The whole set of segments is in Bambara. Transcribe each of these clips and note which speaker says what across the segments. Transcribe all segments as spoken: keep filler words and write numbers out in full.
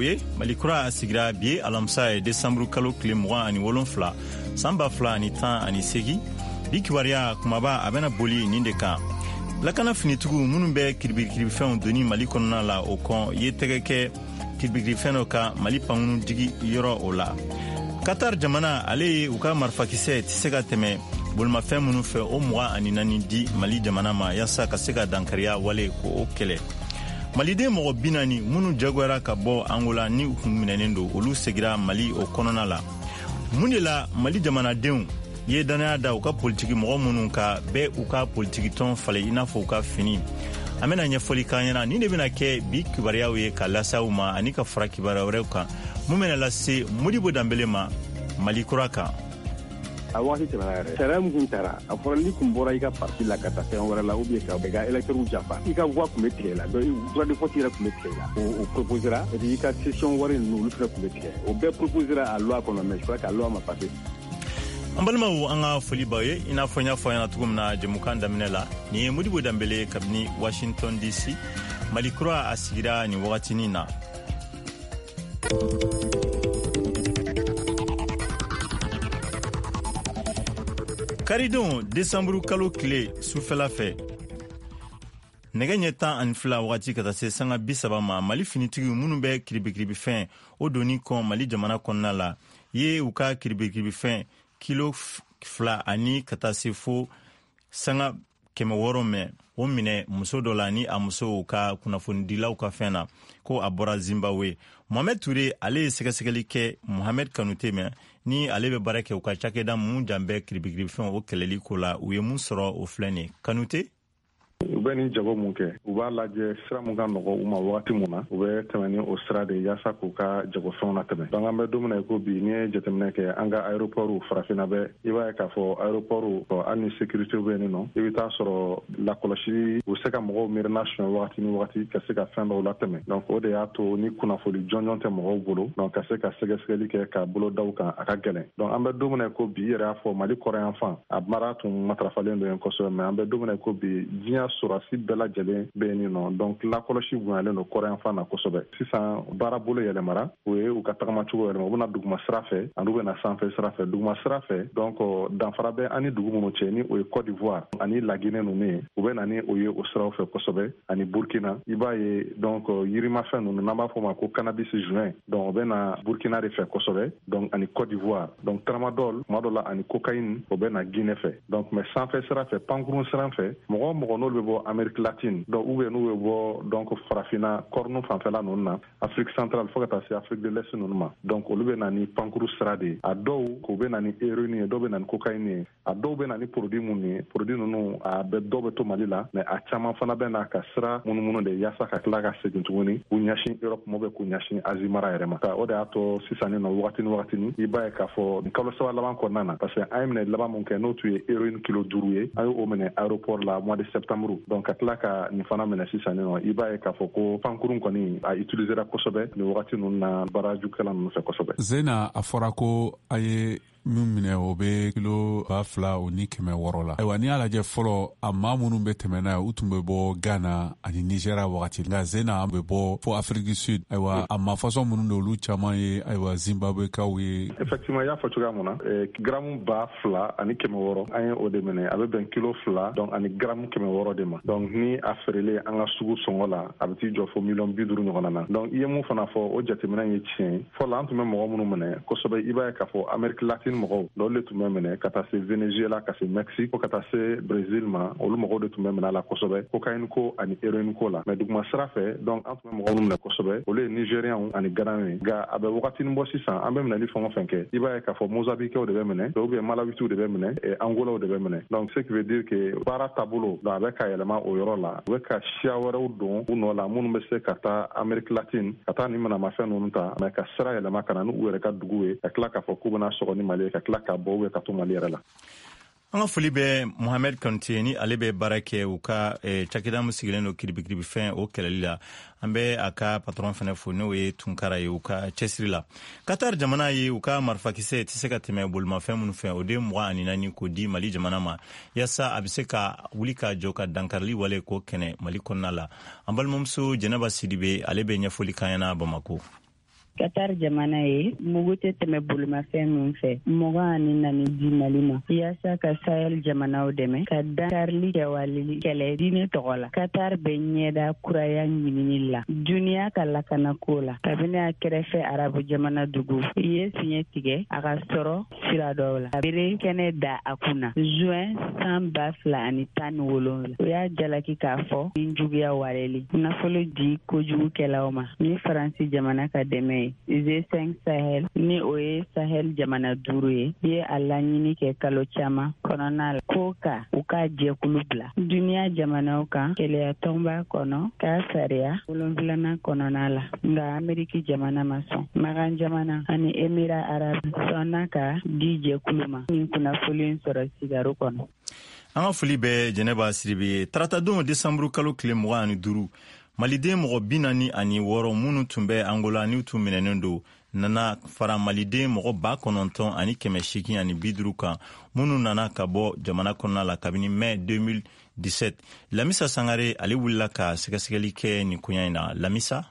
Speaker 1: Ye Mali Kura sigira bi ye alamisa ye, desanburu kalo tile mugan ani wolonfila, san ba fila ani tan ani segi. Bi kibaruya kumaba, a bɛna boli nin de kan: lakana finitigiw minnu bɛ kiribikiribifɛnw doni Mali kɔnɔna la, o kɔn ye tɛgɛ kɛ kiribikirifɛn dɔ kan Mali pankunu jigi yɔrɔ o la. Qatar jamana, ale ye u ka marifakisɛ tɛ se ka tɛmɛ bolimafɛn minnu fɛ, o mugan ani naani di Mali jamana ma, yaasa ka se ka dankariya wale ko o kɛlɛ. Maliden mɔgɔ bi naani minnu jagoyara ka bɔ Angola ni u kun minɛnen don, olu segira Mali o kɔnɔna la. Mun de la Mali jamanadenw ye dannaya da u ka politiki mɔgɔ minnu ka bɛɛ u ka politikitɔn falen i n'a fɔ u ka fini? An bɛna ɲɛfɔli k'an ɲɛna. Nin de bɛna kɛ bi kibaruyaw ye ka lase aw ma, ani ka fara kibaruya wɛrɛw kan mun bɛna lase Modibo Danbele ma Mali Kura kan.
Speaker 2: A waati tɛmɛna yɛrɛ. Sariya min kun tara, a fɔra n'i kun bɔra i ka parti la ka taa fɛn wɛrɛ la, ou bien ka i ka électeur janfa, i ka voix kun bɛ tigɛ la. Donc droit de vote yɛrɛ kun bɛ tigɛ la. O o proposera. Et puis i ka caution wari ninnu, olu fɛnɛ kun bɛ tigɛ. O bɛɛ proposera a loi kɔnɔ, mais je crois que a loi ma passé.
Speaker 1: An balimaw, an ka foli b'aw ye. I n'a fɔ n y'a fɔ ɲɛna cogo min na jɛmukan daminɛ la, nin ye Modibo Danbele kabini Washington D C. Mali Kura a sigira nin wagatinin na. Karidon, desanburu kalo tile sufɛla fɛ, nɛgɛ ɲɛ tan ani fila wagati ka taa se sanga bi saba ma, Mali finitigiw minnu bɛ kiribikiribifɛn o donni kɔn Mali jamana kɔnɔna la ye u ka kiribikiribifɛn kilo fila ani ka taa se fo sanga kɛmɛ wɔɔrɔ mɛn o minɛ muso dɔ la, ni a musow ka kunnafonidilaw ka fɛn na ko a bɔra Zimbabwe. Mohamed Ture, ale ye sɛgɛsɛgɛli kɛ Mohamed Kanute mɛn ni ale bɛ baara kɛ u ka cakɛda mun jan bɛ kiribikiribifɛnw o kɛlɛli ko la. U ye mun sɔrɔ, o filɛ nin Kanute.
Speaker 3: U bɛ nin jago mun kɛ, u b'a lajɛ sira mun ka nɔgɔ u ma wagati mun na, u bɛ tɛmɛ ni o sira de yaasa k'u ka jagofɛnw na tɛmɛ. Donc an bɛ don min na i ko bi, n'i ye jateminɛ kɛ an ka aéroport farafinna bɛɛ, i b'a ye k'a fɔ aéroport, hali ni sécurité bɛ yen nɔ, i bɛ taa sɔrɔ lakɔlɔsili u se ka mɔgɔw miirina suɲɛ wagati ni wagati ka se ka fɛn dɔw latɛmɛ. Donc o de y'a to ni kunnafoli jɔnjɔn tɛ mɔgɔw bolo, donc ka se ka sɛgɛsɛgɛli kɛ ka bolo da u kan, a ka gɛlɛn. Donc an bɛ don min na i ko bi, i yɛrɛ y'a fɔ, Mali kɔrɔyan fan a mara tun matarafalen don yen kosɛbɛ, mais an bɛ don min na i ko bi, diɲɛ sɔrɔsi bɛɛ lajɛlen bɛ yen nɔ. Donc lakɔlɔsi bonyalen don kɔrɔyan fan na kosɛbɛ. Sisan baara bolo yɛlɛmara, o ye u ka tagamacogo yɛlɛma. U bɛna duguma sira fɛ ani u bɛna sanfɛ sira fɛ. Duguma sira fɛ, donc danfara bɛ an ni dugu minnu cɛ, ni o ye Côte d'Ivoire ani Laginɛ ninnu ye, u bɛ na ni o ye o siraw fɛ kosɛbɛ, ani Burkina. I b'a ye, donc yirimafɛn ninnu n'an b'a fɔ o ma ko cannabis joint, donc o bɛ na Burkina de fɛ kosɛbɛ, donc ani Côte d'Ivoire. Donc tramadol tuma dɔ la ani cocaïne, o bɛ na Guinée fɛ. Donc mais sanfɛ sira fɛ, pankurun sira fɛ, mɔgɔ o mɔgɔ n'olu bɛ bɔ Amérique latine, donc ou bien n'u bɛ bɔ donc farafinna kɔrɔnu fanfɛla ninnu na, Afrique centrale fo ka taa se Afrique de l'Est ninnu ma, donc olu bɛ na ni pankuru sira de ye. A dɔw k'u bɛ na ni héroïne ye, dɔw bɛ na ni cocaïne ye, a dɔw bɛ na ni produit minnu ye, produit ninnu a bɛ dɔw bɛ to Mali la, mais a caman fana bɛ na ka sira munumunu de yaasa ka tila ka segin tuguni k'u ɲɛsin Europe ma, bɛ k'u ɲɛsin Asie mara yɛrɛ ma. O de y'a to sisan nin nɔ, wagati ni wagati i b'a ye k'a fɔ nin kalo saba laban kɔnɔna na, parce que an ye minɛ laban mun kɛ, n'o tun ye héroïne kilo duuru ye, an y'o minɛ aéroport la mois de septembre. Donc ka tila ka nin fana minɛ sisan nin nɔ, i b'a ye k'a fɔ ko pankurun kɔni a utilisera kosɛbɛ nin wagati ninnu na baarajukɛla ninnu fɛ kosɛbɛ.
Speaker 4: Zena, a fɔra ko a ye min minɛ, o bɛ kilo ba fila o ni kɛmɛ wɔɔrɔ la. Ayiwa, n'i y'a lajɛ fɔlɔ, a maa minnu bɛ tɛmɛ n'a ye, u tun bɛ bɔ Ghana ani Nigéria wagati, nka zena bɛ bɔ fo Afrique du Sud. Ayiwa, a maa fasɔn minnu don, olu caman ye, ayiwa, Zimbabwekaw ye.
Speaker 3: Effectivement, i y'a fɔ cogoya mun na, gramu ba fila ani kɛmɛ wɔɔrɔ, an ye o de minɛ. A bɛ bɛn kilo fila donc ani gramu kɛmɛ wɔɔrɔ de ma. Donc ni a feerelen an ka sugu sɔngɔ la, a bɛ t'i jɔ fo miliyɔn bi duuru ɲɔgɔnna na. Donc i ye mun fana fɔ, o jateminɛ ye tiɲɛ ye. Fɔlɔ, an tun bɛ mɔgɔ minnu minɛ kosɛbɛ, i b'a ye k'a fɔ Amérique latine mɔgɔw olu de tun bɛ minɛ, ka taa se Venezuela, ka se Mexique, fo ka taa se Brésil ma. Olu mɔgɔw de tun bɛ minɛ a la kosɛbɛ, cocaïne ko ani héroïne ko la. Mais duguma sira fɛ, donc an tun bɛ mɔgɔ minnu minɛ kosɛbɛ, olu ye Nigériens ani Ghana ye. Nka a bɛ wagatinin bɔ sisan, an bɛ minɛli fɛn o fɛn kɛ, i b'a ye k'a fɔ Mozambiquew de bɛ minɛ, ou bien Malawitiw de bɛ minɛ, Angolaw de bɛ minɛ. Donc ce qui veut dire que baara taabolo, donc a bɛ ka yɛlɛma o yɔrɔ la. U bɛ ka siya wɛrɛw don u nɔ la minnu bɛ se ka taa Amérique latine ka taa nin manamafɛn ninnu ta, mais ka sira yɛlɛma ka na ni u yɛrɛ ka dugu ye, ka tila k'a fɔ k'u bɛna sɔgɔ ni Mali ye, ka tila ka bɔ ou ka to Mali yɛrɛ la.
Speaker 1: An ka foli bɛ Mohamed Kanute ni ale bɛ baara kɛ u ka eh, cakɛda min sigilen don kiribikiribifɛn o kɛlɛli la. An bɛ a ka patron fɛnɛ fo, n'o ye Tunkara ye, u ka cɛsiri la. Qatar jamana ye u ka marifakisɛ tɛ se ka tɛmɛ bolimafɛn minnu fɛ, o de mugan ani naani k'o di Mali jamana ma, yaasa a bɛ se ka wuli ka jɔ ka dankarili wale k'o kɛnɛ Mali kɔnɔna la. An balimamuso Jɛnɛba Sidibe, ale bɛ ɲɛfɔli k'an ɲɛna Bamako.
Speaker 5: Qatar jamana ye mugu tɛ tɛmɛ bolimafɛn min fɛ mugan ani naani di Mali ma yaasa ka Sahel jamanaw dɛmɛ ka dankarili kɛwale kɛlɛ diinɛ tɔgɔ la. Qatar bɛ ɲɛda kuraya ɲinini la duniya ka lakanako la kabini a kɛrɛfɛ arabu jamana dugu ye fiɲɛ tigɛ a ka sɔrɔ sira dɔw la. A bere kɛnɛ da a kunna juin san ba fila ani tan ni wolonwula. O y'a jalaki k'a fɔ ni juguya waleli nafolo di kojugukɛlaw ma ni Faransi jamana ka dɛmɛ ye. G cinq Sahel ni o ye Sahel jamana duuru ye ye a laɲini kɛ kalo caman kɔnɔna la ko ka u ka jɛkulu bila duniya jamanaw kan keleya tɔnba kɔnɔ k'a sariya wolonfilanan kɔnɔna la, nka Ameriki jamana ma sɔn. Magan jamana ani Emira Arabu sɔnna ka di jɛkulu ma nin kunnafoni sɔrɔ sigaro kɔnɔ.
Speaker 1: An ka foli bɛ Jɛnɛba Siribe ye. Taratadon desanburu kalo tile mugan ani duuru, maliden mɔgɔ bi naani ani wɔɔrɔ minnu tun bɛ Angola n'u tun minɛnen don nana fara maliden mɔgɔ ba kɔnɔntɔn ani kɛmɛ seegin ani bi duuru kan minnu nana ka bɔ jamana kɔnɔna la kabini mai deux mille dix-sept. Lamisa Sangare ale wulila ka sɛgɛsɛgɛli kɛ nin koɲa in na. Lamisa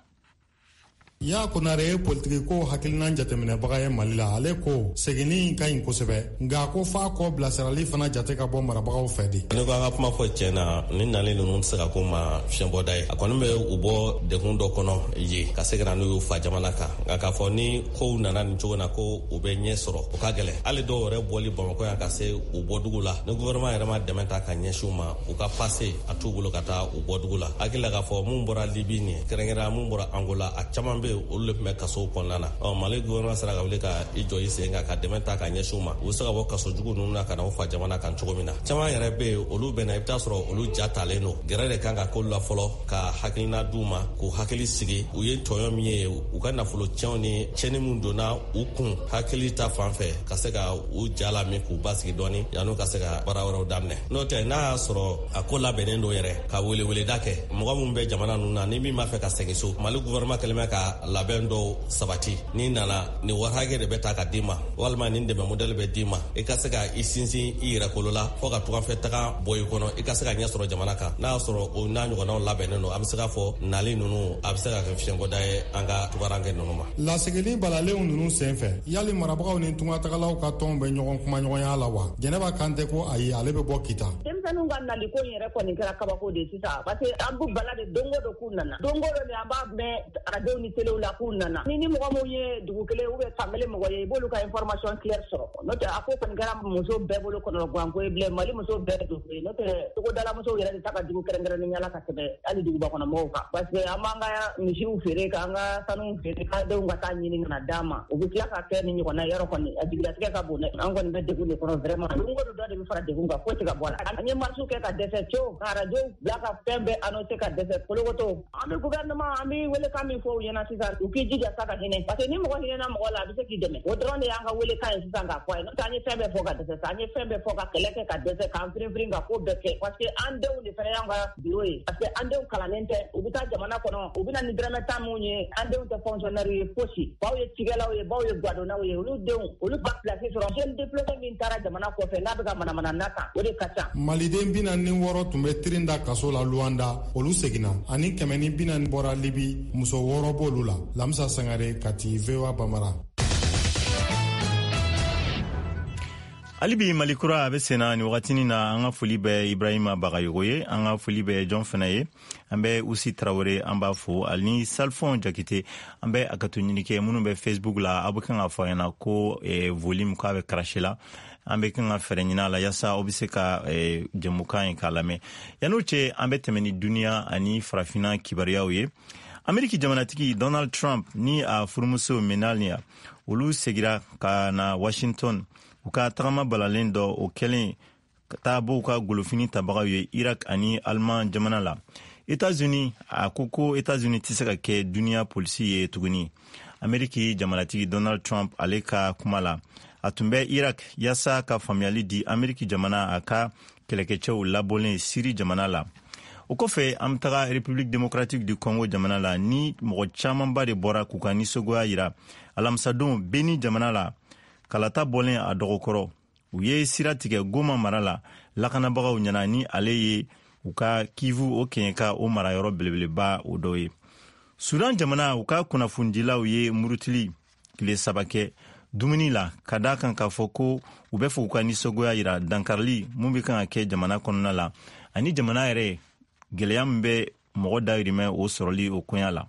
Speaker 6: Ya Konare ye politiki ko hakilinan jateminɛbaga ye Mali la. Ale ko seginni ka ɲi kosɛbɛ, nka ko f'a kɔ bilasirali fana jate ka bɔ marabagaw fɛ de.
Speaker 7: Ne ko an ka kuma fɔ tiɲɛ na, ni nalen ninnu tɛ se ka ko ma fiɲɛbɔda ye. A kɔni bɛ u bɔ degun dɔ kɔnɔ yen ka se ka na n'u y'u fa jamana kan, nka k'a fɔ ni kow nana nin cogo na ko u bɛ ɲɛ sɔrɔ, o ka gɛlɛn. Hali dɔw yɛrɛ bɔli Bamakɔ yan ka se u bɔdugu la, ni gouvernement yɛrɛ ma dɛmɛ ta ka ɲɛsin u ma, u ka passe a t'u bolo ka taa u bɔdugu la. Hakili la k'a fɔ mun bɔra Libi nin ye, kɛrɛnkɛrɛnnenya mun bɔra Angola, a caman bɛ olu de tun bɛ kasow kɔnɔna na. Ɔ Mali gouvernement sera ka wuli ka i jɔ i sen kan ka dɛmɛ ta ka ɲɛsin u ma, u bɛ se ka bɔ kaso jugu ninnu na ka na u fa jamana kan cogo min na. Caman yɛrɛ bɛ yen, olu bɛ na, i bɛ taa sɔrɔ olu ja talen don. Gɛrɛ de kan ka k'olu la fɔlɔ ka hakilina d'u ma, k'u hakili sigi u ye tɔɲɔ min ye, u ka nafolo tiɲɛw ni tiɲɛni min donna u kun hakili ta fan fɛ, ka se ka u ja lamin k'u basigi dɔɔni yan'u ka se ka baara wɛrɛw daminɛ. N'o tɛ, n'a y'a sɔrɔ a ko labɛnnen don yɛrɛ ka weleweleda kɛ mɔgɔ minnu bɛ jamana ninnu na, ni min b'a fɛ ka segin so, Mali gouvernement kɛlen bɛ ka labɛn dɔw sabati. N'i nana, nin wari hakɛ de bɛ ta ka d'i ma, walima nin dɛmɛ modèle bɛ d'i ma, i ka se ka i sinsin i yɛrɛ kolo la fo ka tunganfɛ taga bɔ i kɔnɔ, i ka se ka ɲɛ sɔrɔ jamana kan. N'a y'a sɔrɔ o n'a ɲɔgɔnnaw labɛnnen don, a bɛ se k'a fɔ nali ninnu a bɛ se ka kɛ fiɲɛbɔda ye an ka tungaranke ninnu ma.
Speaker 6: Lasigili balalenw ninnu senfɛ, yali marabagaw ni tungatagalaw ka tɔnw bɛ ɲɔgɔn kumaɲɔgɔnya la wa? Jɛnɛba Kante ko ayi, ale bɛ bɔ Kita.
Speaker 8: Denmisɛnninw ka naliko in yɛrɛ kɔni kɛra kabako de sisan, parce que an b'u bala de don o don k'u nana, don o don de an b'a mɛn arajow ni telew la k'u nana. Ni ni mɔgɔ mun ye dugu kelen ou bien fan kelen mɔgɔ ye, i b'olu ka information claire sɔrɔ. N'o tɛ, a ko kɔni kɛra muso bɛɛ bolo kɔnɔganko ye bilen, Mali muso bɛɛ don ye. N'o tɛ, togodala musow yɛrɛ de ta ka jugu kɛrɛnkɛrɛnnenya la ka tɛmɛ hali duguba kɔnɔ mɔgɔw kan, parce que an b'an ka misiw feere k'an ka sanuw feere k'an denw ka taa ɲini ka na d'an ma, u bɛ tila ka kɛ ni ɲɔgɔnna yɔrɔ kɔni a jigilatigɛ ka bon dɛ. An kɔni bɛ degun de kɔnɔ vraiment, don o don dɔ de bɛ fara degun kan, foyi tɛ ka bɔ a la. An ye marche kɛ ka dɛsɛ cew, ka arajo bila ka fɛn bɛɛ annoncé ka dɛsɛ kolokoto. An bɛ gouvernement, an bɛ welekan min fɔ u ɲɛna sisan, u k'i jija sa ka hinɛ, parce que ni mɔgɔ hinɛna mɔgɔ la, a bɛ se k'i dɛmɛ. O dɔrɔn de y'an ka welekan ye sisan k'a fɔ a ye. N'o tɛ, an ye fɛn bɛɛ fɔ ka dɛsɛ sa, an ye fɛn bɛɛ fɔ ka kɛlɛ kɛ ka dɛsɛ, k'an firin firin ka ko bɛɛ kɛ, parce que an denw de fana y'an ka biro ye, parce que an denw kalannen tɛ, u bɛ taa jamana kɔnɔ, u bɛ na ni dɔrɔmɛ tan mun ye. An denw tɛ fonctionnaire ye fosi, baw ye cikɛlaw ye, baw ye gadonnaw ye, olu denw olu ba place sɔrɔ. Jeune diplômé min taara jamana kɔfɛ n'a bɛ ka manamana na kan, o de ka ca.
Speaker 6: Maliden bi naani ni wɔɔrɔ tun bɛ tirin da kaso la Luanda, olu seginna, ani kɛmɛ ni bi naani bɔra Libi, muso wɔɔrɔ b'olu la. Lamisa Sangare, Kati, V O A Bambara.
Speaker 1: Hali bi Mali kura a bɛ senna nin wagatinin na. An ka foli bɛ Ibrahima Bagayogo ye, an ka foli bɛ jɔn fana ye, an bɛ Usi Tarawele, an b'a fo, ani Salfɔn Jakite. An bɛ a ka to ɲini kɛ minnu bɛ Facebook la, aw bɛ kan ka fɔ a ɲɛna ko eh, volume k'a bɛ cracher la. An bɛ kan ka fɛɛrɛ ɲini a la yaasa aw bɛ se ka eh, jɛmukan in k'a lamɛn. Yan'o cɛ, an bɛ tɛmɛ ni duniya ani farafinna kibaruyaw ye. Ameriki jamanatigi Donald Trump ni a furumuso Melania, olu segira ka na Washington u ka tagama balalen dɔ o kɛlen ka taa bɔ u ka golofini tabagaw ye Irak ani Alman jamana la. Etats-Unis a ko ko Etats-Unis tɛ se ka kɛ duniya polisi ye tuguni. Ameriki jamanatigi Donald Trump ale ka kuma la, a tun bɛ Irak yaasa ka faamuyali di Ameriki jamana a ka kɛlɛkɛcɛw labɔlen Siri jamana la. O kɔfɛ, an bɛ taga République démocratique du Congo jamana la, ni mɔgɔ camanba de bɔra k'u ka nisɔngoya yira alamisadon Beni jamana la, kalata bɔlen a dɔgɔkɔrɔ. U ye sira tigɛ Goma mara la lakanabagaw ɲɛna, ni ale ye u ka Kivu o kɛɲɛka o marayɔrɔ belebeleba o dɔ ye. Sudan jamana, u ka kunnafonidilaw ye murutili tile saba kɛ dumuni la, ka da kan k'a fɔ ko u bɛ fɛ u ka nisɔngoya yira dankarili mun bɛ kan ka kɛ jamana kɔnɔna la, ani jamana yɛrɛ gɛlɛya min bɛ mɔgɔ dayirimɛ o sɔrɔli o koɲa la.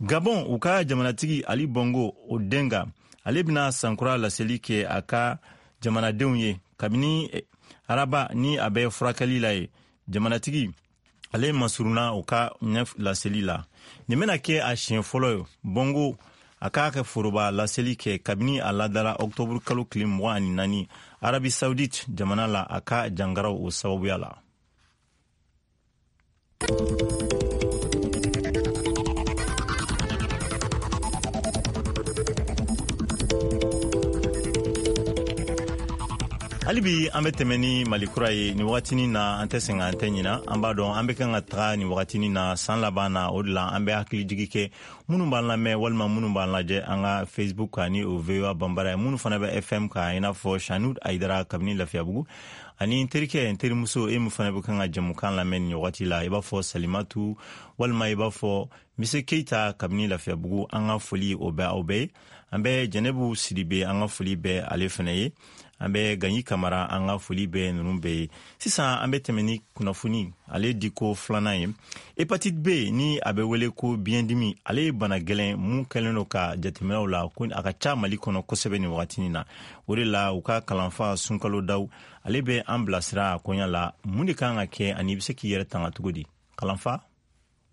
Speaker 1: Gabon, u ka jamanatigi Ali Bongo Odinga, ale bɛna sankura laseli kɛ a ka jamanadenw ye kabini araba ni a bɛ furakɛli la ye. Jamanatigi ale masurunna u ka ɲɛ laseli la. Nin bɛna kɛ a siɲɛ fɔlɔ ye Bongo a k'a kɛ foroba laseli kɛ kabini a ladara ɔktɔburu kalo tile mugan ani naani Arabie Saoudite jamana la, a ka jangaraw o sababuya la. Hali bi an bɛ tɛmɛ ni Mali kura ye nin wagatinin na. An tɛ sɛgɛn, an tɛ ɲina. An b'a dɔn an bɛ kan ka taga nin wagatinin na san laban na. O de la an bɛ hakilijigi kɛ minnu b'an lamɛn walima minnu b'an lajɛ an ka Facebook kan ni o V O A Banbara ye, minnu fana bɛ F M kan, i n'a fɔ Sanud Ayidara kabini Lafiyabugu, ani n terikɛ, n terimuso, e min fana bɛ kan ka jɛmukan lamɛn nin wagati la, i b'a fɔ Salimatu walima i b'a fɔ Mise Keita kabini Lafiyabugu. An ka foli o bɛ aw bɛɛ ye. An bɛ Jɛnɛbu Sidibe, an ka foli bɛ ale fana ye. An bɛ Ganyi Kamara, an ka foli bɛ ninnu bɛɛ ye. Sisan an bɛ tɛmɛ ni kunnafoni ale diko filanan ye. Hépatite B, ni a bɛ wele ko biyɛndimi, ale ye bana gɛlɛn mun kɛlen don ka jateminɛw la ko a ka ca Mali kɔnɔ kosɛbɛ nin wagatinin na. O de la u ka kalanfa Sunkalo Daw, ale bɛ an bilasira a koɲa la, mun de kan ka kɛ ani i bɛ se k'i yɛrɛ tanga cogo di, kalanfa?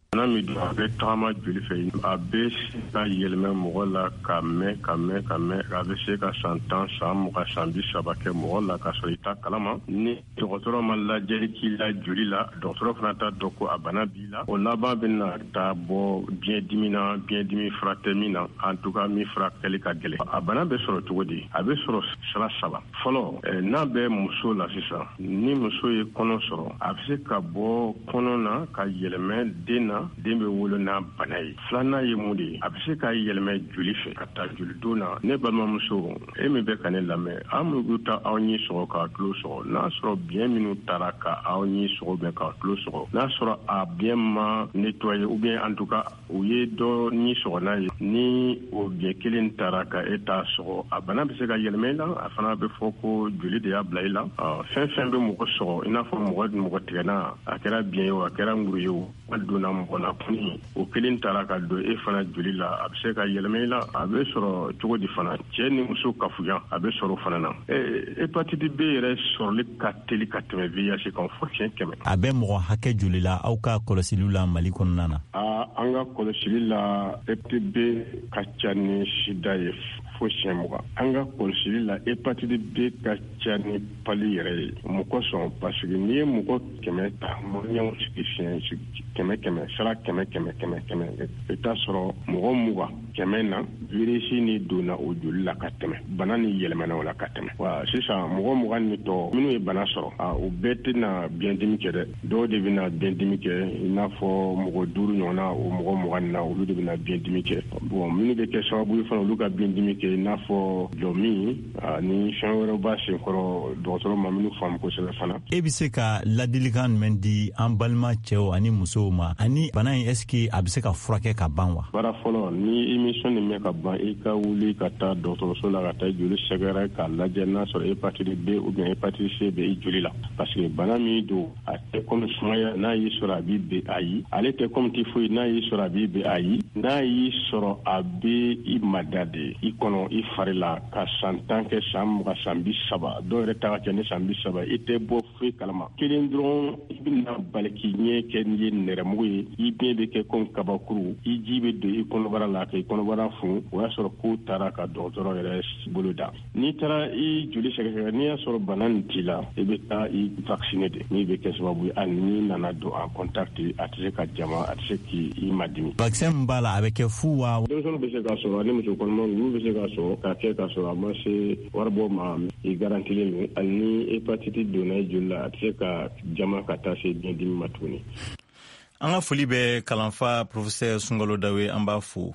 Speaker 2: Bana min don, a bɛ tagama joli fɛ. A bɛ se ka yɛlɛmɛ mɔgɔ la ka mɛn, ka mɛn, ka mɛn. A bɛ se ka san tan, san mugan, san bi saba kɛ mɔgɔ la ka sɔrɔ i t'a kalama. Ni dɔgɔtɔrɔ ma lajɛli k'i la joli la, dɔgɔtɔrɔ fana t'a dɔn ko a bana b'i la. O laban bɛna taa bɔ biyɛndimi na, biyɛndimi fura tɛ min na, en tout cas min furakɛli ka gɛlɛn. A bana bɛ sɔrɔ cogo di? A bɛ sɔrɔ sira saba. Fɔlɔ, n'a bɛ muso la sisan, ni muso ye kɔnɔ sɔrɔ, a bɛ se ka bɔ kɔnɔ na ka yɛlɛmɛ den na, den bɛ wolo n'a bana ye. Filanan ye mun de ye? A bɛ se ka yɛlɛmɛ joli fɛ ka taa jolidon na. Ne balimamuso, e min bɛ ka ne lamɛn, an minnu ta aw ɲi sɔgɔ k'a tulo sɔgɔ, n'a sɔrɔ biɲɛ minnu taara ka aw ɲi sɔgɔ bɛ k'a tulo sɔgɔ, n'a sɔrɔ a biɲɛ ma nettoyer ou bien en tout cas u ye dɔ ɲi sɔgɔ n'a ye, ni o biɲɛ kelen taara ka e t'a sɔgɔ, a bana bɛ se ka yɛlɛmɛ i la. A fana bɛ fɔ ko joli de y'a bila i la. Fɛn fɛn bɛ mɔgɔ sɔgɔ, i n'a fɔ mɔgɔ mɔgɔ tigɛna, a kɛra biɲɛ ye o, a kɛra nguru ye o, a donna mɔgɔ la kɔni, o kelen taara ka don e fana joli la, a bɛ se ka yɛlɛmɛ i la. A bɛ sɔrɔ cogo di fana? Cɛ ni muso kafuya, a bɛ sɔrɔ o fana na. Hépatite B yɛrɛ sɔrɔli ka teli ka tɛmɛ V I H kan fo siɲɛ kɛmɛ.
Speaker 1: A bɛ mɔgɔ hakɛ joli la aw ka kɔlɔsiliw la Mali kɔnɔna na?
Speaker 2: Aa, an ka kɔlɔsili la, hépatite B ka ca ni sida ye fo siɲɛ mugan. An ka kɔlɔsili la, hépatite B ka ca ni pali yɛrɛ ye. Mun kosɔn? Parce que n'i ye mɔgɔ kɛmɛ ta, maliyɛnw sigi siɲɛ kɛmɛ kɛmɛ sara, kɛmɛ kɛmɛ kɛmɛ kɛmɛ, i t'a sɔrɔ mɔgɔ mugan kɛmɛ na, virus ni donna o joli la ka tɛmɛ, bana ni yɛlɛmana o la ka tɛmɛ wa. Sisan mɔgɔ mugan ni tɔ minnu ye bana sɔrɔ, o bɛɛ tɛna biyɛndimi kɛ dɛ. Dɔw de bɛna biyɛndimi kɛ, i n'a fɔ mɔgɔ duuru ɲɔgɔnna, o mɔgɔ mugan na, olu de bɛna biyɛndimi kɛ. Bon, minnu bɛ kɛ sababu ye fana olu ka biyɛndimi kɛ, i n'a fɔ jɔmin ani fɛn wɛrɛw b'a senkɔrɔ, dɔgɔtɔrɔ ma minnu faamu kosɛbɛ fana.
Speaker 1: E bɛ se ka ladilikan jumɛn di an balima cɛw ani musow ma, ani bana in, est ce que a bɛ se ka furakɛ ka ban wa?
Speaker 2: Baara fɔlɔ, ni émission nin mɛn ka ban, i ka wuli ka taa dɔgɔtɔrɔso la ka taa joli sɛgɛrɛ k'a lajɛ n'a sɔrɔ hépatite B ou bien hépatite C bɛ i joli la. Parce que bana min don, a tɛ comme sumaya, n'a y'i sɔrɔ a b'i ben, ayi. Ale tɛ comme typhoïde, n'a y'i sɔrɔ a b'i ben, ayi. N'a y'i sɔrɔ, a bɛ i mada de i kɔnɔ, i fari la, ka san tan kɛ, san mugan, san bi saba, dɔw yɛrɛ ta ka kɛ ni san bi saba, i tɛ bɔ foyi kalama. Kelen dɔrɔn, i bɛna bali k'i ɲɛ kɛ n'i ye nɛrɛmugu ye, i biɲɛ bɛ kɛ komi kabakuru, i ji bɛ don i kɔnɔbara la k'i kɔnɔbara funu. O y'a sɔrɔ ko taara ka dɔgɔtɔrɔ yɛrɛ bolo da. N'i taara i joli sɛgɛsɛgɛ, n'i y'a sɔrɔ bana nin t'i la, i bɛ taa i vacciner de, min bɛ kɛ sababu ye hali n'i nana don en contact, a tɛ se ka jama, a tɛ se k'i madimi.
Speaker 1: Vaccin min b'a la, a bɛ kɛ fu wa?
Speaker 2: Denmisɛnninw bɛ se k'a sɔrɔ, ani muso kɔnɔmaw, olu bɛ se k'a sɔrɔ k'a kɛ k'a sɔrɔ a ma se waribɔ ma, i garantilen don. Hali ni hépatite donna i joli la, a tɛ se ka jama ka taa se biyɛndimi ma tuguni.
Speaker 1: An ka foli bɛ kalanfa professeur Sunkalo Dawe, an b'a fo.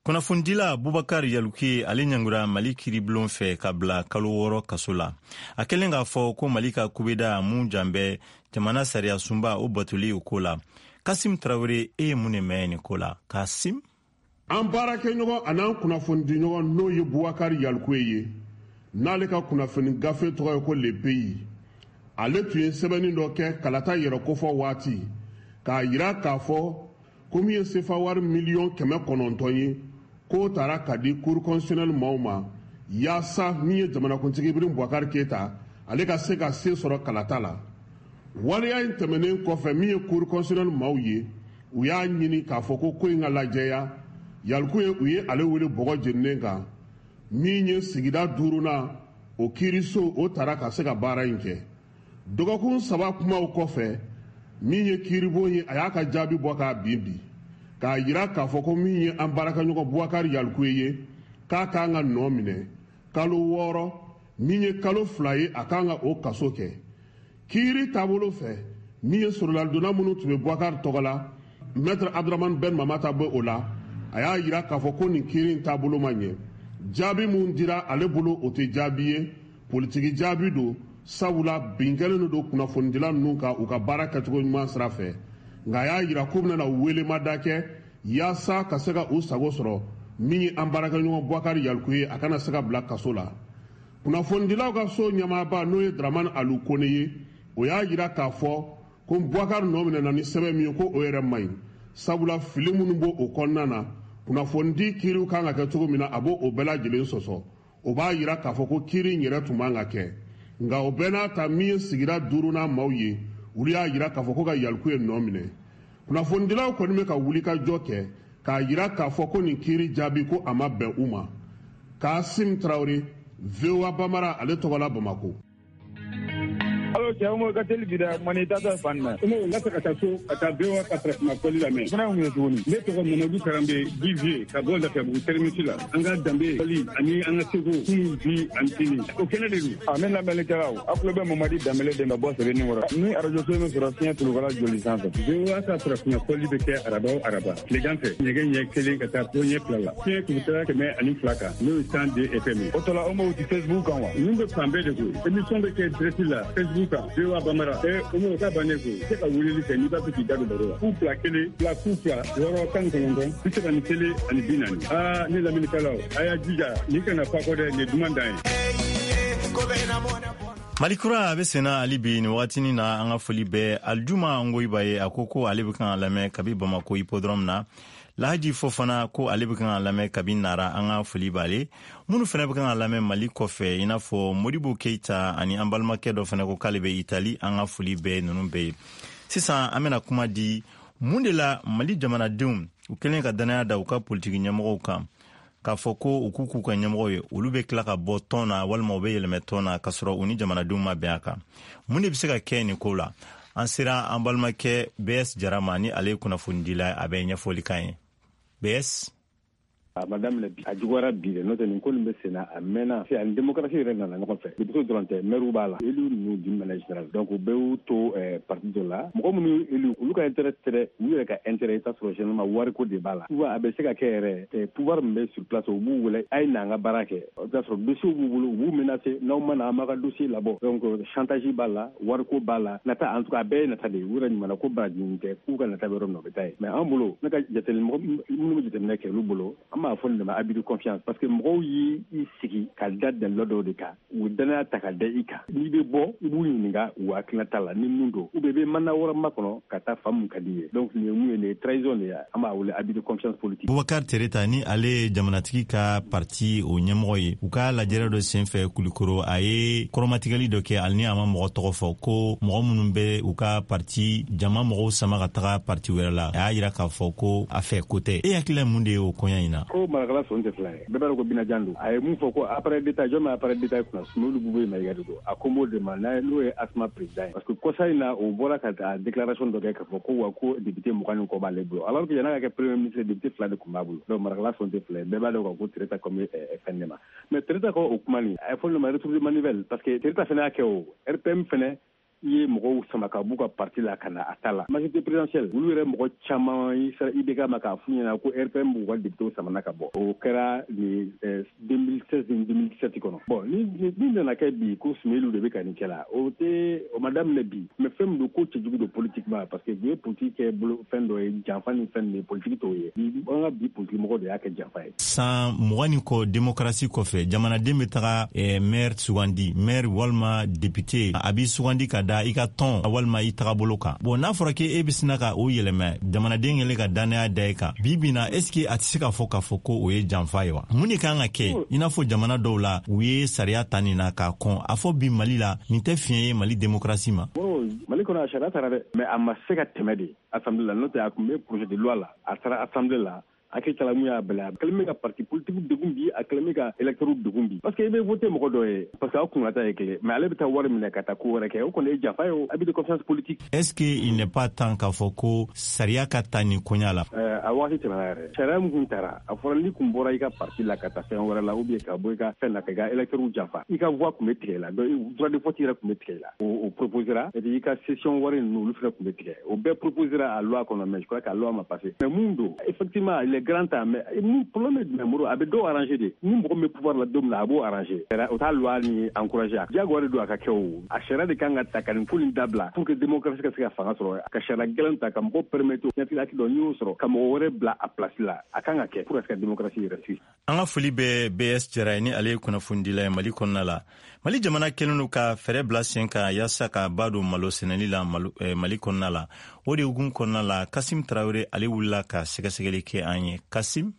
Speaker 1: Kunnafonidila Bubakar Yaluke, ale ɲangura Mali kiiribulon fɛ ka bila kalo wɔɔrɔ kaso la, a kɛlen k'a fɔ ko Mali ka kubeda mun jan bɛ jamana sariya sunba o batoli o ko la. Kasim Tarawele, e ye mun de mɛn nin ko la? Kasim?
Speaker 9: An baarakɛɲɔgɔn an'an kunnafonidiɲɔgɔn, n'o ye Bubakari Yalikuye ye, n'ale ka kunnafoni gafe tɔgɔ ye ko Le Pays, ale tun ye sɛbɛnni dɔ kɛ kalata yɛrɛ kofɔ waati k'a yira k'a fɔ ko min ye sefa wari miliyɔn kɛmɛ kɔnɔntɔn ye, k'o taara ka di Cour constitutionnelle maaw ma, yaasa min ye jamanakuntigi Ibrahim Boubacar Keita, ale ka se ka se sɔrɔ kalata la. Waleya in tɛmɛnen kɔfɛ, min ye Cour constitutionnelle maaw ye, u y'a ɲini k'a fɔ ko ko in ka lajɛya. Yalikuye, u ye ale wele bɔgɔ jeninen kan. Min ye sigida duurunan o kiiriso, o taara ka se ka baara in kɛ. Dɔgɔkun saba kumaw kɔfɛ, min ye kiiribon ye, a y'a ka jaabi bɔ k'a bin bi, k'a yira k'a fɔ ko min ye an baarakɛɲɔgɔn Bubakari Yalikuye ye, k'a k'an ka nɔ minɛ kalo wɔɔrɔ, min ye kalo fila ye, a k'an ka o kaso kɛ. Kiiri taabolo fɛ, min ye sɔrɔladonna minnu tun bɛ Bubakari tɔgɔ la, Maître Abdramane Ben Mamata bɛ o la, a y'a yira k'a fɔ ko nin kiiri in taabolo ma ɲɛ. Jaabi mun dira ale bolo, o tɛ jaabi ye, politiki jaabi don, sabula bin kɛlen don kunnafonidila ninnu kan u ka baara kɛcogo ɲuman sira fɛ. Nka a y'a yira k'u bɛna welemada kɛ yaasa ka se ka u sago sɔrɔ, min ye an baarakɛɲɔgɔn Bubakari Yalikuye, a kana se ka bila kaso la. Kunnafonidilaw ka so ɲɛmaaba, n'o ye Dramane Alu Kone ye, o y'a yira k'a fɔ ko Bubakari nɔ minɛna ni sɛbɛn min ye, ko o yɛrɛ man ɲi, sabula fili minnu b'o o kɔnɔna na, kunnafonidi kiiriw kan ka kɛ cogo min na, a b'o o bɛɛ lajɛlen sɔsɔ. O b'a yira k'a fɔ ko kiiri in yɛrɛ tun man ka kɛ. Nka o bɛɛ n'a ta, min ye sigida duurunan maaw ye, olu y'a yira k'a fɔ ko ka Yalikuye nɔ minɛ. Kunnafonidilaw kɔni bɛ ka wuli ka jɔ kɛ k'a yira k'a fɔ ko nin kiiri jaabi, ko a ma bɛn u ma. Kasim Tarawele, V O A Bambara ale tɔgɔ la, Bamako.
Speaker 10: Alo, cɛ mo ka teli bi dɛ, mani tata fan na.
Speaker 2: N ka ka taa so ka taa V O A ka farafinna kɔli lamɛn.
Speaker 10: Fana mun ye tuguni?
Speaker 2: Ne tɔgɔ Mamadu Karanbe Divier, ka bɔ Lafiyabugu terminus la. An ka danbe kɔli ani an ka seko, kunun, bi ani sini, o kɛnɛ de don.
Speaker 10: A ne lamɛnnikɛlaw, aw tulo bɛ Mamadi Danbele de ka bɔ Sɛbɛnni kɔrɔ. Ni arajo so min sɔrɔ fiɲɛ tulukala joli sanfɛ.
Speaker 2: V O A ka farafinna kɔli bɛ kɛ araba o araba tilegan fɛ, nɛgɛ ɲɛ kelen ka taa fo ɲɛ fila la, fiɲɛ turutara kɛmɛ ani fila kan, n'o ye cent deux F M ye.
Speaker 10: O tɔla o m'o ti Facebook kan wa?
Speaker 2: Ninnu bɛ fan bɛɛ de koyi. Émission bɛ kɛ direct la Facebook kan, V O A Bambara. Ɛ o m'o ka bannen koyi. I se ka weleli kɛ n'i b'a fɛ k'i da don baro la. Fu fila kelen fila fu fila wɔɔrɔ tan ni kɔnɔntɔn bi saba ni kelen ani bi naani. Aa, ne lamɛnnikɛlaw, a y'a jija nin kana fa kɔ dɛ, nin ye duman dan ye.
Speaker 1: Mali kura a bɛ senna hali bi nin wagatinin na. An ka foli bɛ Aljuma Ngoyiba ye. A ko ko ale bɛ kan ka lamɛn kabi Bamako hippodrome na. Lahaji Fofana ko ale bɛ kan ka lamɛn kabi Nara. An ka foli b'ale. Minnu fana bɛ kan ka lamɛn Mali kɔfɛ, i n'a fɔ Modibo Keita ani an balimakɛ dɔ fana ko k'ale bɛ Itali, an ka foli bɛ ninnu bɛɛ ye. Sisan an bɛna kuma di mun de la Mali jamanadenw, u kɛlen ka danaya da u ka politiki ɲɛmɔgɔw kan k'a fɔ ko u k'u k'u ka ɲɛmɔgɔ ye, olu bɛ tila ka bɔ tɔn na walima u bɛ yɛlɛmɛ tɔn na k'a sɔrɔ u ni jamanadenw ma bɛn a kan. Mun de bɛ se ka kɛ nin ko la? An sera an balimakɛ B S Jara ma, ni ale ye kunnafonidila, a bɛ ɲɛfɔli kan ye. B S.
Speaker 2: A ma daminɛ bi, a juguyara bi dɛ. N'o tɛ, nin ko nin bɛ sen na, a mɛnna. Ani démocratie yɛrɛ nana ɲɔgɔn fɛ, député dɔrɔn tɛ, maire b'a la, élu ninnu d'une manière générale. Donc u bɛɛ y'u to parti dɔ la. Mɔgɔ minnu élu, olu ka intérêt tɛ dɛ, u yɛrɛ ka intérêt. I t'a sɔrɔ généralement wariko de b'a la. Souvent a bɛ se ka kɛ yɛrɛ, pouvoir min bɛ sur place, u b'u wele a ye na an ka baara kɛ. I bɛ t'a sɔrɔ dossier b'u bolo, u b'u menacer: n'aw ma na, an b'a ka dossier labɔ. Donc chantage b'a la, wariko b'a la, nata. En tout cas a bɛɛ ye nata de ye. U yɛrɛ ɲuman ko baraji tɛ k'u ka nata bɛ yɔrɔ min na, u bɛ taa yen. Mais an bolo, ne ka jateminɛ, mɔgɔ minnu bɛ jateminɛ kɛ, olu bolo, an b'a fɔ nin de ma abus de confiance, parce que mɔgɔw y'i sigi ka da dalila dɔw de kan, u danaya ta ka da i kan. N'i bɛ bɔ, i b'u ɲininka u hakilinata la ni mun don, ou bien i bɛ mandat wɛrɛ makɔnɔ ka taa fan mun ka di ye. Donc nin ye mun ye? Nin ye trahison de ye. An b'a wele abus de confiance politique.
Speaker 1: Bubakar Tereta, ni ale ye jamanatigi ka parti o ɲɛmɔgɔ ye, u ka lajɛrɛ dɔ senfɛ Kulikoro, a ye kɔrɔmatigɛli dɔ kɛ, hali ni a ma mɔgɔ tɔgɔ fɔ, ko mɔgɔ minnu bɛ u ka parti jama mɔgɔw sama ka taga parti wɛrɛ la, a y'a yira k'a fɔ ko a fɛ ko tɛ. E hakilila mun de ye o koɲa in na?
Speaker 2: Ko marakala sɔn tɛ fila ye. Bɛɛ b'a dɔn ko binajan don. A ye mun fɔ ko appareil d'état? Jɔn bɛ appareil d'état kunna? Sumaworo Bube Mayiga de don. A ko m'o de ma, n'o ye ASMA président ye, parce que kɔsa in na, o bɔra ka taa déclaration dɔ kɛ k'a fɔ ko wa ko député mugan ni kɔ b'ale bolo, alors que yan'a ka kɛ premier ministre, député fila de tun b'a bolo. Donc marakala sɔn tɛ fila ye. Bɛɛ b'a dɔn ko Tereta comme fɛn de ma. Mais Tereta ko o kuma nin, a ye fɔ nin ma retour de manivelle, parce que Tereta fana y'a kɛ, o R P M fana i ye mɔgɔw sama ka b'u ka parti la ka na a ta la majorité présidentielle. Olu yɛrɛ mɔgɔ caman i sera I B K ma k'a f'u ɲɛna ko R P M b'u ka député samana ka bɔ. O kɛra ni deux mille seize ni deux mille dix-sept kɔnɔ. Bon, ni ni nana kɛ bi ko Soumeylou de bɛ ka nin kɛ la, o tɛ o ma daminɛ bi, mais fɛn min don, ko cɛjugu don politiquement, parce que u ye politique kɛ bolo fɛn dɔ ye, janfa ni fɛn de politique t'o ye. An ka bi politique mɔgɔ de y'a kɛ janfa ye.
Speaker 1: San mugan ni kɔ démocratie kɔfɛ, jamanaden bɛ taga eh, maire sugandi, maire walima député, a b'i sugandi ka da i ka tɔn walima i tagabolo kan. Bon, n'a fɔra k'e bɛ sina ka o yɛlɛma, jamanaden kɛlen ka danaya da i kan bi bi na, est ce que a tɛ se k'a fɔ k'a fɔ ko o ye janfa ye wa? Mun de kan ka kɛ? I n'a fɔ jamana dɔw la, u ye sariya ta nin na k'a kɔn. A fɔ bi Mali la, nin tɛ fiɲɛ ye Mali démocratie ma?
Speaker 2: Mali kɔnɔ, a sariya taara dɛ, mais a ma se ka tɛmɛ de assemblée la, n'o tɛ a tun bɛ projet de loi la, a taara assemblée la. Hakili tala mun y'a bɛlɛ, a kɛlen bɛ ka parti politique degun bi, a kɛlen bɛ ka électeurs degun bi, parce que i bɛ voter mɔgɔ dɔ ye parce que aw kunna ye kelen, mais ale bɛ taa wari minɛ ka taa ko wɛrɛ kɛ, o kɔni ye janfa ye, o abus de confiance politique.
Speaker 1: Est-ce que il n'est pas temps k'a fɔ ko sariya ka ta nin koɲa la?
Speaker 2: A waati tɛmɛna yɛrɛ. Sariya min kun taara, a fɔra n'i kun bɔra i ka parti la ka taa fɛn wɛrɛ la, ou bien ka bɔ i ka fɛn na ka i ka électeurs janfa, i ka voix tun bɛ tigɛ i la, donc droit de vote yɛrɛ tun bɛ tigɛ i la, o proposera, et puis i ka session wari ninnu, olu fana tun bɛ tigɛ, o bɛɛ proposera a loi kɔnɔ, mais je crois que a loi ma passé. Mais mun don, effectivement, il est grand temps, mais mun problème ye jumɛn, Moro? A bɛ dɔw arranger de. Ni mɔgɔ min bɛ pouvoir la don min na, a b'o arranger, o t'a loi ni encourager, a diyagoya de don a ka kɛ. O a sariya de kan ka ta ka nin ko nin dabila pour que démocratie ka se ka fanga sɔrɔ, ka sariya gɛlɛn ta ka mɔgɔw permettre ɲɛtigɛ hakili dɔ n'i y'o sɔrɔ ka mɔgɔ wɛrɛ bila a place la, a kan ka kɛ pour ka se ka démocratie yɛrɛ sigi.
Speaker 1: An ka foli bɛ B S Jara ye, ni ale ye kunnafonidila ye Mali kɔnɔna la. Mali jamana kɛlen don ka fɛɛrɛ bila sen kan yaasa ka ba don malo sɛnɛli la Mali kɔnɔna la. O de hukumu kɔnɔna la, Kasim Tarawele, ale wulila ka sɛgɛsɛgɛli kɛ an ye. Kasim.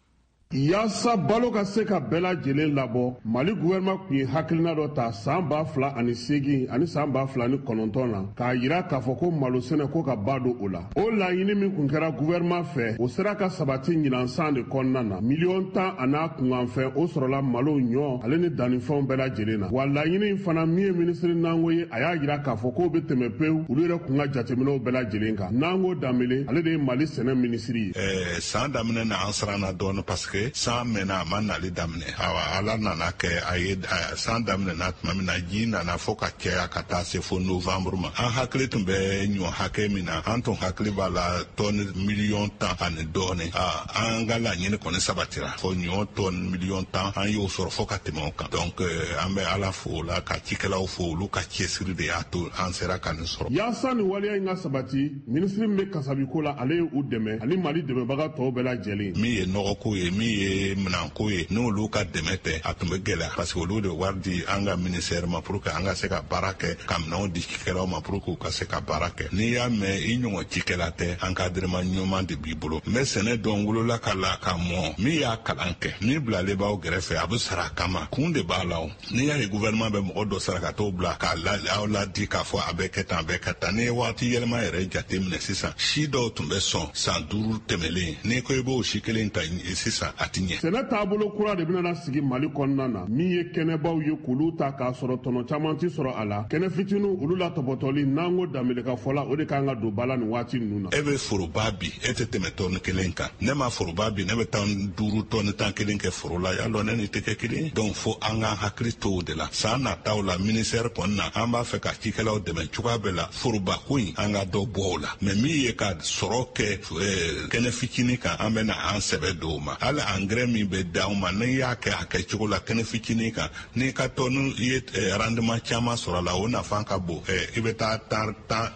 Speaker 9: Yaasa balo ka se ka bɛɛ lajɛlen labɔ, Mali gouvernement tun ye hakilina dɔ ta san ba fila ani seegin ani san ba fila ni kɔnɔntɔn na, k'a yira k'a fɔ ko malo sɛnɛ ko ka ba don o la. O laɲini min kun kɛra gouvernement fɛ, o sera ka sabati ɲinan san de kɔnɔna na. Miliyɔn tan a n'a kunkanfɛn, o sɔrɔla malo, ɲɔ ale ni dannifɛnw bɛɛ lajɛlen na. Wa laɲini in fana, min ye minisiri Nango ye, a y'a yira k'a fɔ k'o bɛ tɛmɛ pewu olu yɛrɛ kun ka jateminɛw bɛɛ lajɛlen kan. Nango Danbele, ale de ye Mali sɛnɛ minisiri
Speaker 11: ye. San daminɛ na, an siranna dɔɔni parce que san mɛnna, a ma nali daminɛ. Awa, Ala nana kɛ a ye san daminɛna tuma min na, ji nana fo ka caya ka taa se fo novembre ma. An hakili tun bɛ ɲɔ hakɛ min na, an tun hakili b'a la tɔni miliyɔn tan ani dɔɔni. An ka laɲini kɔni sabatira, fo ɲɔ tɔni miliyɔn tan an y'o sɔrɔ fo ka tɛmɛ o kan. Donc an bɛ Ala fo o la, ka cikɛlaw fo, olu ka cɛsiri de y'a to an sera ka nin sɔrɔ.
Speaker 9: Yaasa nin waleya in ka sabati, minisiri min bɛ kasabiko la, ale ye u dɛmɛ ani Mali dɛmɛbaga tɔw bɛɛ lajɛlen.
Speaker 11: Min ye nɔgɔko ye, min ye minɛnko ye, n'olu ka dɛmɛ tɛ, a tun bɛ gɛlɛya, parce que olu de wari di an ka ministère ma pour que an ka se ka baara kɛ, ka minɛnw di cikɛlaw ma pour que u ka se ka baara kɛ. N'i y'a mɛn i ɲɔgɔn cikɛla tɛ, encadrement ɲuman de b'i bolo. N bɛ sɛnɛ dɔn, wolola ka la ka mɔ, min y'a kalan kɛ, min bilalen b'aw gɛrɛfɛ, a bɛ sara a kama, kun de b'a la. O n'i y'a ye gouvernement bɛ mɔgɔ dɔ sara ka t'o bila k'a la aw ladi k'a fɔ a bɛ kɛ tan, a bɛ kɛ tan. N'i ye waati yɛlɛma yɛrɛ jate minɛ sisan, si dɔw tun bɛ sɔn san duuru tɛmɛlen, n'i ko i b'o si kelen ta sisan, a ti ɲɛ.
Speaker 9: Sɛnɛ taabolo kura de bɛna sigi Mali kɔnɔna na, min ye kɛnɛbaw ye k'olu ta k'a sɔrɔ tɔnɔ caman ti sɔrɔ a la. Kɛnɛ fitinin, olu la tɔpɔtɔli, n'an ko Danbele ka fɔ la, o de kan ka don ba la nin waati ninnu na.
Speaker 11: E bɛ foroba bi, e tɛ tɛmɛ tɔni kelen kan. Ne ma foroba bi, ne bɛ tan duuru tɔni tan kelen kɛ foro la, y'a dɔn ne ni tɛ kɛ kelen. Donc fo an k'an hakili to o de la. San nataw la, ministère kɔni na, an b'a fɛ ka cikɛlaw dɛmɛ cogoya bɛɛ la, foroba ko in, an ka dɔ bɔ o la. Mais min ye ka sɔrɔ kɛ kɛnɛ fitinin kan, an bɛ na an sɛbɛ don o ma. Hali engrais min bɛ d'anw ma, n'i y'a kɛ a kɛcogo la kɛnɛ fitinin kan, n'i ka tɔni i ye rendement caman sɔrɔ a la, o nafa ka bon. I bɛ taa tan tan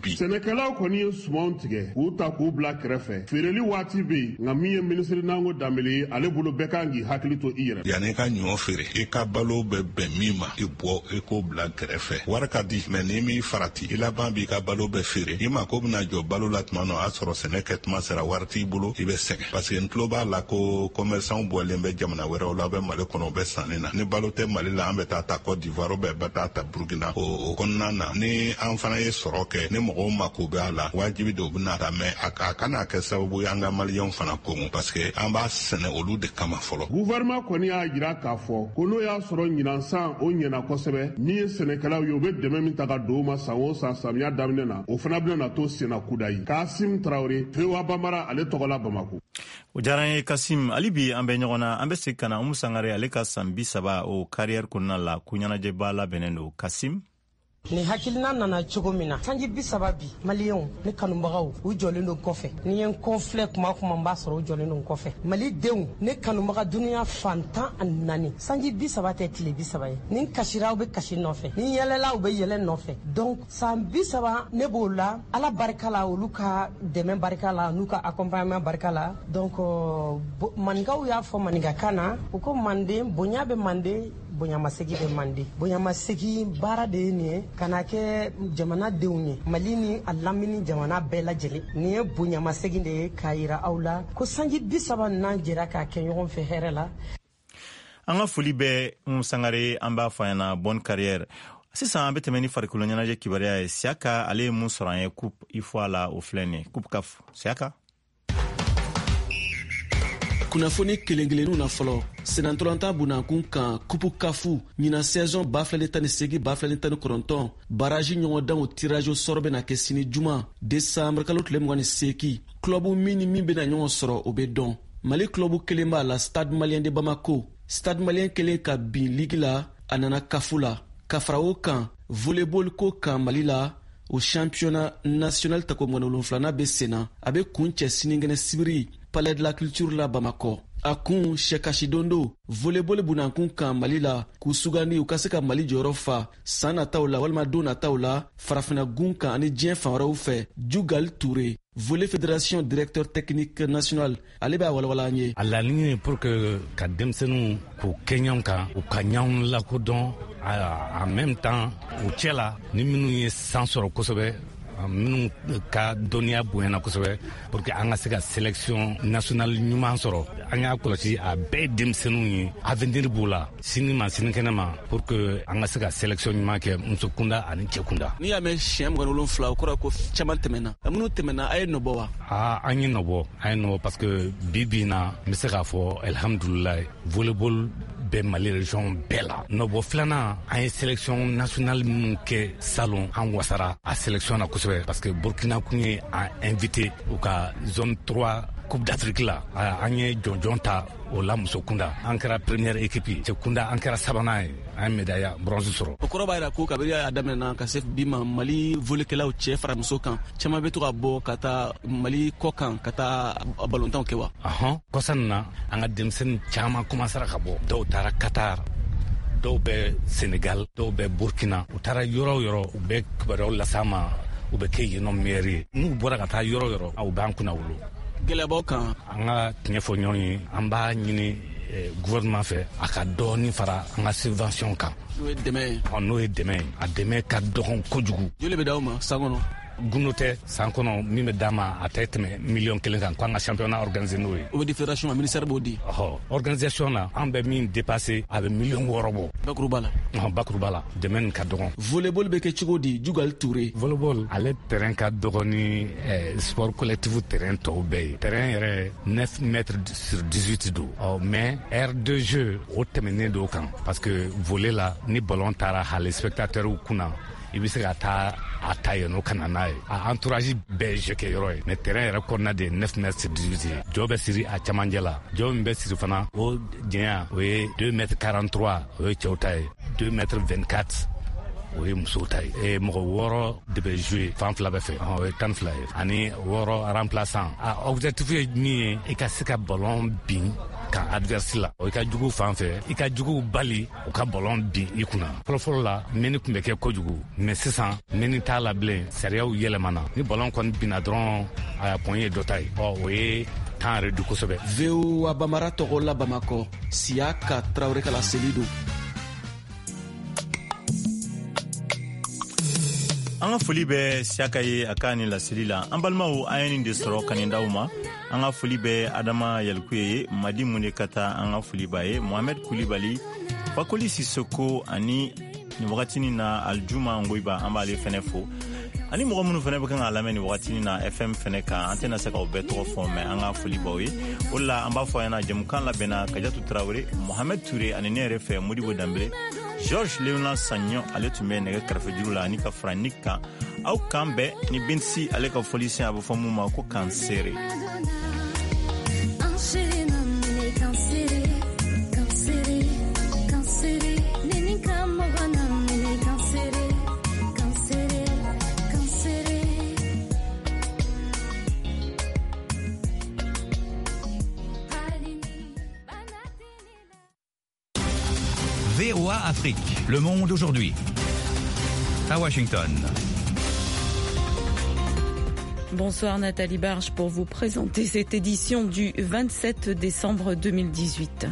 Speaker 11: bi.
Speaker 9: Sɛnɛkɛlaw kɔni ye sumanw tigɛ k'u ta k'u bila kɛrɛfɛ, feereli waati bɛ yen, nka min ye minisiri Nango Danbele ye, ale bolo bɛɛ kan k'i hakili to i yɛrɛ.
Speaker 11: Yanni i ka ɲɔ feere, i ka balo bɛ bɛn min ma, i bɔ i k'o bila kɛrɛfɛ. Wari ka di, mɛ n'i m'i farati, i laban b'i ka balo bɛɛ feere. I mako bɛna jɔ balo la tuma min, o y'a sɔrɔ sɛnɛ kɛ tuma sera, wari t'i bolo, i bɛ sɛgɛn. Parce que n tulo b'a la ko commerçant bɔlen bɛ jamana wɛrɛw la, bɛ Mali kɔnɔ, u bɛ sanni na. Ni balo tɛ Mali la, an bɛ taa ta Côte d'Ivoire, bɛ bɛ taa ta Burkina. O kɔnɔna na, ni an fana ye sɔrɔ kɛ, ni mɔgɔw mako bɛ a la, wajibi de u bɛna ta, mɛ a kana kɛ sababu ye an ka maliyɛnw fana kɔngɔ, parce que an b'a sɛnɛ olu de kama fɔlɔ.
Speaker 9: Gouvernement kɔni y'a jira k'a fɔ ko n'o y'a sɔrɔ ɲinan san o ɲɛna kosɛbɛ, min ye sɛnɛkɛlaw ye, u bɛ dɛmɛ min ta ka don u ma san o san samiya daminɛ na, o fana bɛna na to senna kudayi. Kasim Tarawele, V O A Bambara, ale tɔgɔ la Bamako.
Speaker 1: O diyara n ye Kasim. Hali bi an bɛ ɲɔgɔn na, an bɛ segin ka na Umu Sangare, ale ka san bi saba o carrière kɔnɔna la, ko ɲɛnajɛba labɛnnen don. Kasim.
Speaker 12: Nin hakilina nana cogo min na, sanji bi saba bi maliyɛnw ne kanubagaw u jɔlen don kɔfɛ. Ni ye n kɔfilɛ kuma kuma n b'a sɔrɔ u jɔlen don kɔfɛ. Malidenw ne kanubaga dunuya fan tan ani naani, sanji bi saba tɛ tile bi saba ye. Ni n kasira aw bɛ kasi nɔfɛ, ni n yɛlɛla aw bɛ yɛlɛ nɔfɛ. Donc san bi saba ne b'o la, Ala barika la, olu ka dɛmɛ barika la, n'u ka accompagnement barika la. Donc maninkaw y'a fɔ maninkakan na, u ko manden bonya bɛ manden, bonyamasegi bɛ manden. Bonyamasegi baara de ye nin ye, ka na kɛ jamanadenw ye, Mali ni a lamini jamana bɛɛ lajɛlen. Nin ye bonyamasegi de ye k'a yira aw la ko sanji bi saba n'an jɛra k'a kɛ ɲɔgɔn fɛ hɛrɛ la.
Speaker 1: An ka foli bɛ Umu Sangare, an b'a fɔ a ɲɛna bonne carrière. Sisan an bɛ tɛmɛ ni farikolo ɲɛnajɛ kibaruya ye. Siyaka ale ye mun sɔrɔ an ye coupe UFOA la, o filɛ nin ye, coupe CAF. Siyaka.
Speaker 13: Kunnafoni kelen kelenninw na fɔlɔ, senatɔlɔntan bunakun kan kupu kafu ɲinan saison ba fila ni tan ni seegin ba fila ni tan ni kɔnɔntɔn baraji ɲɔgɔndanw tirage au sort bɛna kɛ sini juma desanburu kalo tile mugan ni seegin. Club min ni min bɛna ɲɔgɔn sɔrɔ, o bɛ dɔn. Mali club kelen b'a la, Stade Malien de Bamako. Stade Malien kelen ka bin ligue la, a nana kafu la. Ka fara o kan, volleyball ko kan Mali la, o championnat national tako mugan ni wolonfilanan bɛ sen na, a bɛ kun cɛ sinikɛnɛ sibiri Palais de la Culture la Bamakɔ. A kun sɛkasidondo volleyball bunakun kan Mali la, k'u sugandi u ka se ka Mali jɔyɔrɔ fa san nataw la walima don nataw la farafinna gun kan ani diɲɛ fan wɛrɛw fɛ. Jugal Touré, volley fédération directeur technique national, ale b'a walawala an ye.
Speaker 14: A laɲini ye pour que ka denmisɛnninw k'u kɛ ɲɔgɔn kan, u ka ɲɔgɔn lakodɔn, en même temps u cɛ la ni minnu ye san sɔrɔ kosɛbɛ, minnu ka dɔnniya bonyana kosɛbɛ, pour que an ka se ka sélection nationale ɲuman sɔrɔ. An y'a kɔlɔsi, a bɛɛ ye denmisɛnninw ye, avenir b'u la sini ma sinikɛnɛ ma, pour que an ka se ka sélection ɲuman kɛ muso kunda ani cɛ kunda.
Speaker 13: N'i y'a mɛn siɲɛ mugan ni wolonfila, o kɔrɔ ko caman tɛmɛna. Minnu tɛmɛna, a ye nɔbɔ wa?
Speaker 14: Aa, an ye nɔbɔ, an ye nɔbɔ, parce que bi bi in na n bɛ se k'a fɔ alhamdulilayi, volleyball bɛ Mali région bɛɛ la. Nɔbɔ filanan, an ye sélection nationale minnu kɛ salon, an wasara a sélection na kosɛbɛ, parce que Burkina kun ye an invité u ka zone trois Coupe d'Afrique la. An ye jɔnjɔn ta o la muso kunda, an kɛra première équipe ye. Cɛ kunda, an kɛra sabanan ye, an ye médaille bronze sɔrɔ.
Speaker 13: O kɔrɔ b'a yira ko kabini a daminɛna ka se bi ma, Mali volley-kɛlaw cɛ fara muso kan, caman bɛ to ka bɔ ka taa Mali kɔ kan ka taa balontanw kɛ wa?
Speaker 14: Ɔhɔn, kɔsa nin na an ka denmisɛnnin caman commencera ka bɔ. Dɔw taara Qatar, dɔw bɛ Senegal, dɔw bɛ Burkina. U taara yɔrɔ o yɔrɔ, u bɛ kibaruyaw las'an ma, u bɛ kɛ yen nɔ meilleur ye. N'u bɔra ka taa yɔrɔ o yɔrɔ, u b'an kunna wolo.
Speaker 13: Gɛlɛyabaw kan?
Speaker 14: An ka tiɲɛ fɔ ɲɔgɔn ye, an b'a ɲini gouvernement fɛ a ka dɔɔni fara an ka subvention kan.
Speaker 13: N'o ye dɛmɛ ye?
Speaker 14: N'o ye dɛmɛ ye, a dɛmɛ ka dɔgɔn kojugu.
Speaker 13: Joli bɛ d'aw ma san kɔnɔ?
Speaker 14: Gundo tɛ, san kɔnɔ min bɛ d'a ma, a tɛ tɛmɛ miliyɔn kelen kan, k'an ka championnat organiser n'o ye.
Speaker 13: O bɛ di fédération ma, ministère b'o di?
Speaker 14: Ɔhɔ, organisation na, an bɛ min dépasser, a bɛ miliyɔn wɔɔrɔ bɔ.
Speaker 13: Bakuruba la?
Speaker 14: Ɔhɔn, bakuruba la, dɛmɛ nin ka dɔgɔn.
Speaker 13: Volleyball bɛ kɛ cogo di, Jugal Touré?
Speaker 14: Volleyball ale terrain ka dɔgɔn ni eh, sport collectif terrain tɔw bɛɛ ye. Terrain yɛrɛ neuf mètres sur dix-huit don. Ɔ mais aire de jeu o tɛmɛnen don kan, parce que volley la, ni ballon taara hali spectateur kunna, i bɛ se ka taa a ta yen nɔ ka na n'a ye. A entourage bɛɛ ye jeu kɛ yɔrɔ ye, mais terrain yɛrɛ kɔnɔna de ye neuf mètres sur dix-huit ye. Jɔ bɛ siri a camancɛ la, jɔ min bɛ siri fana, o janya o ye deux mètres quarante-trois, o ye cɛw ta ye, deux mètres vingt-quatre, o ye musow ta ye. E mɔgɔ wɔɔrɔ de bɛ jouer fan fila bɛɛ fɛ, o ye tan fila ye, ani wɔɔrɔ remplaçant. A objectif ye min ye, i ka se ka ballon bin kan adverse la, o i ka jugu fan fɛ, i ka juguw bali u ka ballon bin i kunna. Fɔlɔfɔlɔ la, mɛni tun bɛ kɛ kojugu, mais sisan mɛni t'a la bilen, sariyaw yɛlɛmana. Ni ballon kɔni binna dɔrɔn, a point ye dɔ ta ye. Ɔ o ye temps réduit kosɛbɛ.
Speaker 13: V O A Bamara tɔgɔ la Bamakɔ, Siyaka Tarawele ka laseli don.
Speaker 1: An ka foli bɛ Siyaka ye a ka nin laseli la. An balimaw, an ye nin de sɔrɔ ka nin d'aw ma. An ka foli bɛ Adama Yalikuye ye, Madi Munde ka taa, an ka foli b'a ye, Mohamɛd Kulibali, Fakoli Sisoko, ani nin wagatinin na Aljuma Ngoyiba, an b'ale fɛnɛ fo, ani mɔgɔ minnu fɛnɛ bɛ kan k'a lamɛn nin wagatinin na F M fɛnɛ kan. An tɛna se k'aw bɛɛ tɔgɔ fɔ, mɛ an ka foli b'aw ye. O de la an b'a fɔ a ɲɛna, jɛmukan labɛnna Kajatu Tarawele, Mohamɛd Ture ani ne yɛrɛ fɛ Modibo Danbele. Georges Léonard Sagnon, ale tun bɛ nɛgɛ kɛrɛfɛjuru la ani ka fara Nik kan. Aw kan bɛn ni Binsi ale ka fɔlisen, a bɛ fɔ mun ma ko kansere.
Speaker 15: Kansere. V O A Afrique, Le Monde aujourd'hui. À Washington.
Speaker 16: Bonsoir Nathalie Barge pour vous présenter cette édition du vingt-sept décembre deux mille dix-huit.